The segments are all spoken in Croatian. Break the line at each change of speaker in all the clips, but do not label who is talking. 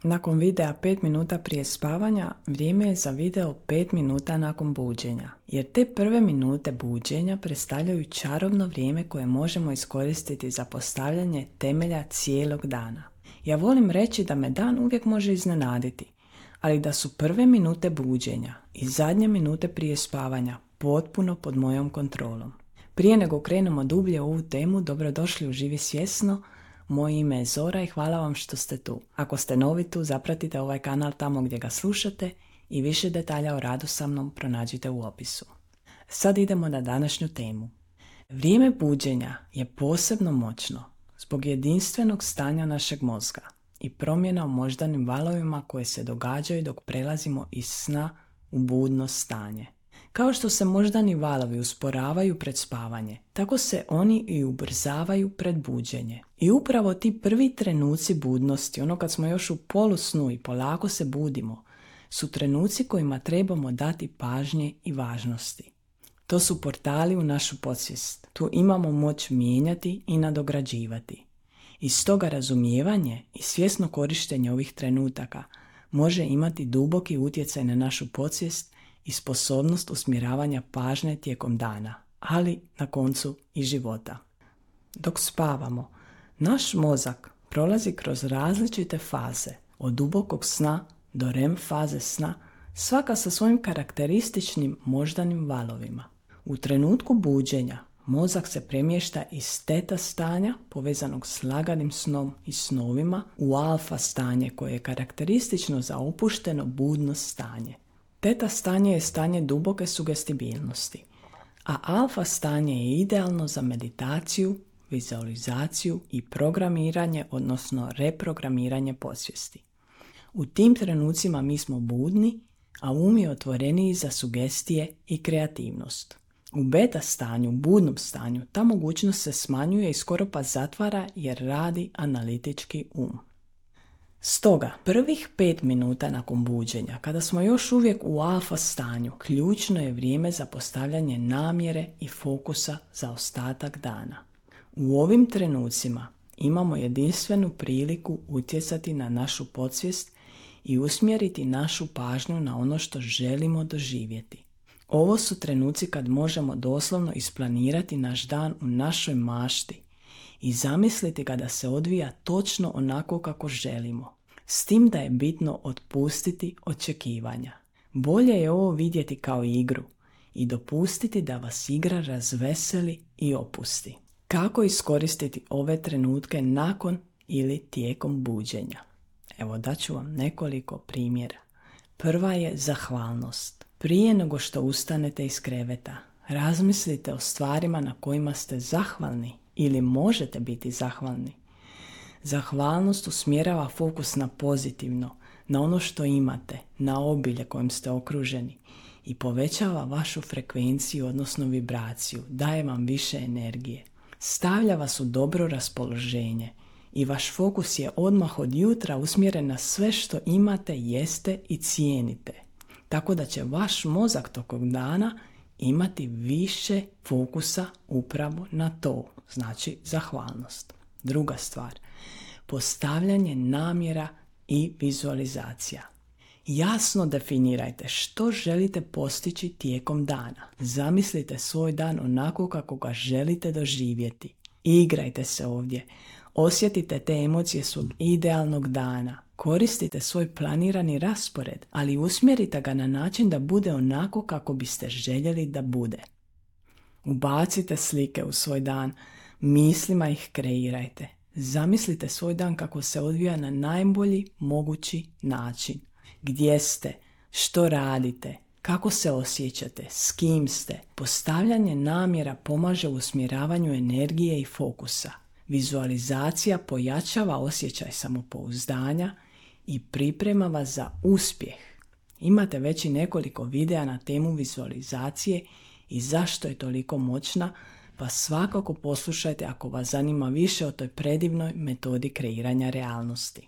Nakon videa 5 minuta prije spavanja, vrijeme je za video 5 minuta nakon buđenja, jer te prve minute buđenja predstavljaju čarobno vrijeme koje možemo iskoristiti za postavljanje temelja cijelog dana. Ja volim reći da me dan uvijek može iznenaditi, ali da su prve minute buđenja i zadnje minute prije spavanja potpuno pod mojom kontrolom. Prije nego krenemo dublje u ovu temu, dobrodošli u Živi svjesno. Moje ime je Zora i hvala vam što ste tu. Ako ste novi tu, zapratite ovaj kanal tamo gdje ga slušate i više detalja o radu sa mnom pronađite u opisu. Sad idemo na današnju temu. Vrijeme buđenja je posebno moćno zbog jedinstvenog stanja našeg mozga i promjena u moždanim valovima koje se događaju dok prelazimo iz sna u budno stanje. Kao što se moždani valovi usporavaju pred spavanje, tako se oni i ubrzavaju pred buđenje. I upravo ti prvi trenuci budnosti, ono kad smo još u polusnu i polako se budimo, su trenuci kojima trebamo dati pažnje i važnosti. To su portali u našu podsvijest. Tu imamo moć mijenjati i nadograđivati. I stoga razumijevanje i svjesno korištenje ovih trenutaka može imati duboki utjecaj na našu podsvijest i sposobnost usmjeravanja pažnje tijekom dana, ali na koncu i života. Dok spavamo, naš mozak prolazi kroz različite faze, od dubokog sna do REM faze sna, svaka sa svojim karakterističnim moždanim valovima. U trenutku buđenja mozak se premješta iz teta stanja, povezanog s laganim snom i snovima, u alfa stanje koje je karakteristično za opušteno budno stanje. Teta stanje je stanje duboke sugestibilnosti, a alfa stanje je idealno za meditaciju, vizualizaciju i programiranje, odnosno reprogramiranje podsvijesti. U tim trenucima mi smo budni, a um je otvoreniji za sugestije i kreativnost. U beta stanju, budnom stanju, ta mogućnost se smanjuje i skoro pa zatvara jer radi analitički um. Stoga, prvih 5 minuta nakon buđenja, kada smo još uvijek u alfa stanju, ključno je vrijeme za postavljanje namjere i fokusa za ostatak dana. U ovim trenucima imamo jedinstvenu priliku utjecati na našu podsvijest i usmjeriti našu pažnju na ono što želimo doživjeti. Ovo su trenuci kad možemo doslovno isplanirati naš dan u našoj mašti i zamisliti ga da se odvija točno onako kako želimo. S tim da je bitno otpustiti očekivanja. Bolje je ovo vidjeti kao igru i dopustiti da vas igra razveseli i opusti. Kako iskoristiti ove trenutke nakon ili tijekom buđenja? Evo daću vam nekoliko primjera. Prva je zahvalnost. Prije nego što ustanete iz kreveta, razmislite o stvarima na kojima ste zahvalni ili možete biti zahvalni. Zahvalnost usmjerava fokus na pozitivno, na ono što imate, na obilje kojim ste okruženi i povećava vašu frekvenciju, odnosno vibraciju, daje vam više energije. Stavlja vas u dobro raspoloženje i vaš fokus je odmah od jutra usmjeren na sve što imate, jeste i cijenite. Tako da će vaš mozak tokom dana imati više fokusa upravo na to, znači zahvalnost. Druga stvar, postavljanje namjera i vizualizacija. Jasno definirajte što želite postići tijekom dana. Zamislite svoj dan onako kako ga želite doživjeti. Igrajte se ovdje. Osjetite te emocije svog idealnog dana. Koristite svoj planirani raspored, ali usmjerite ga na način da bude onako kako biste željeli da bude. Ubacite slike u svoj dan, mislima ih kreirajte. Zamislite svoj dan kako se odvija na najbolji mogući način. Gdje ste, što radite, kako se osjećate, s kim ste. Postavljanje namjera pomaže u usmjeravanju energije i fokusa. Vizualizacija pojačava osjećaj samopouzdanja i priprema vas za uspjeh. Imate već i nekoliko videa na temu vizualizacije i zašto je toliko moćna, pa svakako poslušajte ako vas zanima više o toj predivnoj metodi kreiranja realnosti.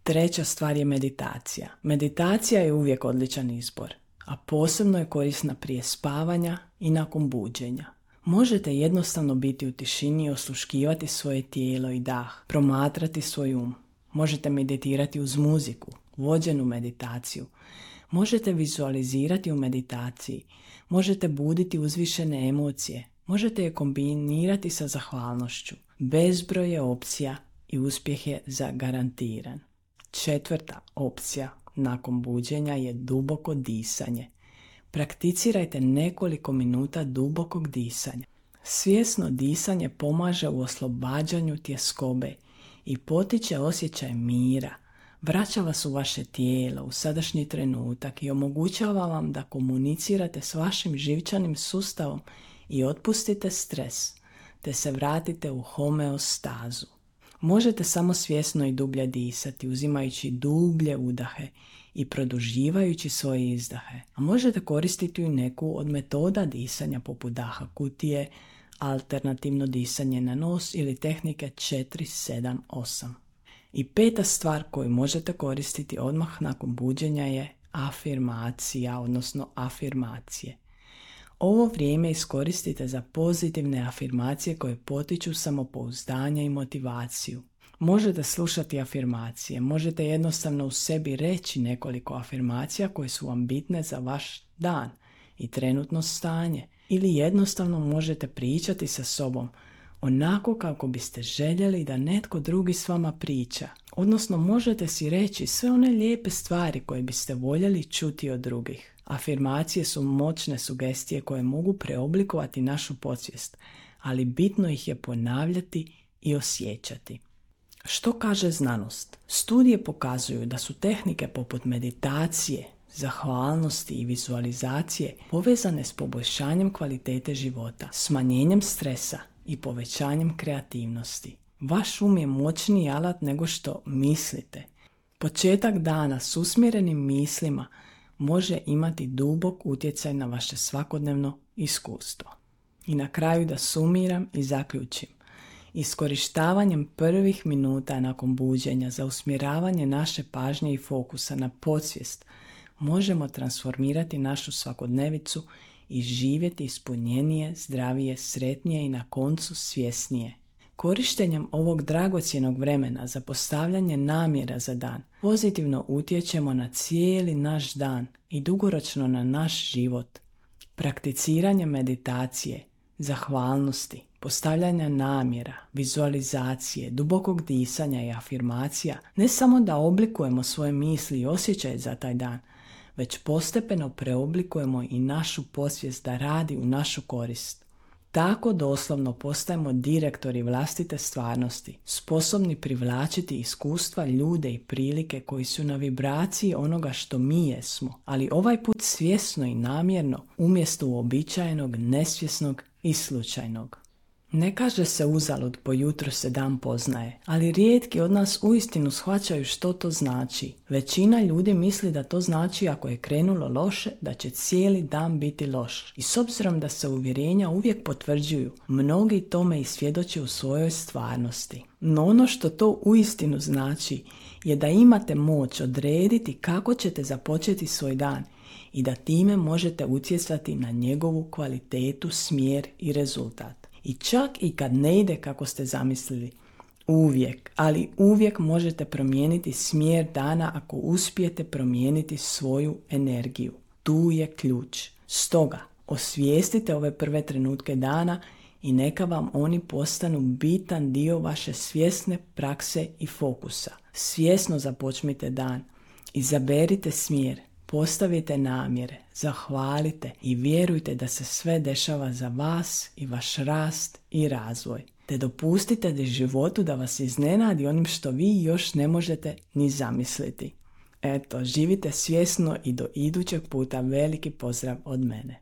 Treća stvar je meditacija. Meditacija je uvijek odličan izbor, a posebno je korisna prije spavanja i nakon buđenja. Možete jednostavno biti u tišini i osluškivati svoje tijelo i dah, promatrati svoj um. Možete meditirati uz muziku, vođenu meditaciju. Možete vizualizirati u meditaciji. Možete buditi uzvišene emocije. Možete je kombinirati sa zahvalnošću. Bezbroj je opcija i uspjeh je zagarantiran. 4. opcija nakon buđenja je duboko disanje. Prakticirajte nekoliko minuta dubokog disanja. Svjesno disanje pomaže u oslobađanju tjeskobe i potiče osjećaj mira. Vraća vas u vaše tijelo, u sadašnji trenutak i omogućava vam da komunicirate s vašim živčanim sustavom i otpustite stres, te se vratite u homeostazu. Možete samo svjesno i dublje disati, uzimajući dublje udahe i produživajući svoje izdahe. A možete koristiti i neku od metoda disanja poput daha kutije, alternativno disanje na nos ili tehnike 4-7-8. I 5. stvar koju možete koristiti odmah nakon buđenja je afirmacija, odnosno afirmacije. Ovo vrijeme iskoristite za pozitivne afirmacije koje potiču samopouzdanje i motivaciju. Možete slušati afirmacije, možete jednostavno u sebi reći nekoliko afirmacija koje su vam bitne za vaš dan i trenutno stanje. Ili jednostavno možete pričati sa sobom onako kako biste željeli da netko drugi s vama priča. Odnosno možete si reći sve one lijepe stvari koje biste voljeli čuti od drugih. Afirmacije su moćne sugestije koje mogu preoblikovati našu podsvijest, ali bitno ih je ponavljati i osjećati. Što kaže znanost? Studije pokazuju da su tehnike poput meditacije, zahvalnosti i vizualizacije povezane s poboljšanjem kvalitete života, smanjenjem stresa i povećanjem kreativnosti. Vaš um je moćniji alat nego što mislite. Početak dana s usmjerenim mislima može imati dubok utjecaj na vaše svakodnevno iskustvo. I na kraju da sumiram i zaključim. Iskorištavanjem prvih minuta nakon buđenja za usmjeravanje naše pažnje i fokusa na podsvijest možemo transformirati našu svakodnevicu i živjeti ispunjenije, zdravije, sretnije i na koncu svjesnije. Korištenjem ovog dragocjenog vremena za postavljanje namjera za dan pozitivno utječemo na cijeli naš dan i dugoročno na naš život. Prakticiranje meditacije, zahvalnosti, postavljanja namjera, vizualizacije, dubokog disanja i afirmacija ne samo da oblikujemo svoje misli i osjećaje za taj dan, već postepeno preoblikujemo i našu podsvijest da radi u našu korist. Tako doslovno postajemo direktori vlastite stvarnosti, sposobni privlačiti iskustva, ljude i prilike koji su na vibraciji onoga što mi jesmo, ali ovaj put svjesno i namjerno umjesto uobičajenog, nesvjesnog i slučajnog. Ne kaže se uzalud po jutru se dan poznaje, ali rijetki od nas uistinu shvaćaju što to znači. Većina ljudi misli da to znači ako je krenulo loše, da će cijeli dan biti loš. I s obzirom da se uvjerenja uvijek potvrđuju, mnogi tome i svjedoče u svojoj stvarnosti. No ono što to uistinu znači je da imate moć odrediti kako ćete započeti svoj dan i da time možete utjecati na njegovu kvalitetu, smjer i rezultat. I čak i kad ne ide kako ste zamislili, uvijek, ali uvijek možete promijeniti smjer dana ako uspijete promijeniti svoju energiju. Tu je ključ. Stoga, osvijestite ove prve trenutke dana i neka vam oni postanu bitan dio vaše svjesne prakse i fokusa. Svjesno započnite dan. Izaberite smjer. Postavite namjere, zahvalite i vjerujte da se sve dešava za vas i vaš rast i razvoj. Te dopustite da životu da vas iznenadi onim što vi još ne možete ni zamisliti. Eto, živite svjesno i do idućeg puta veliki pozdrav od mene.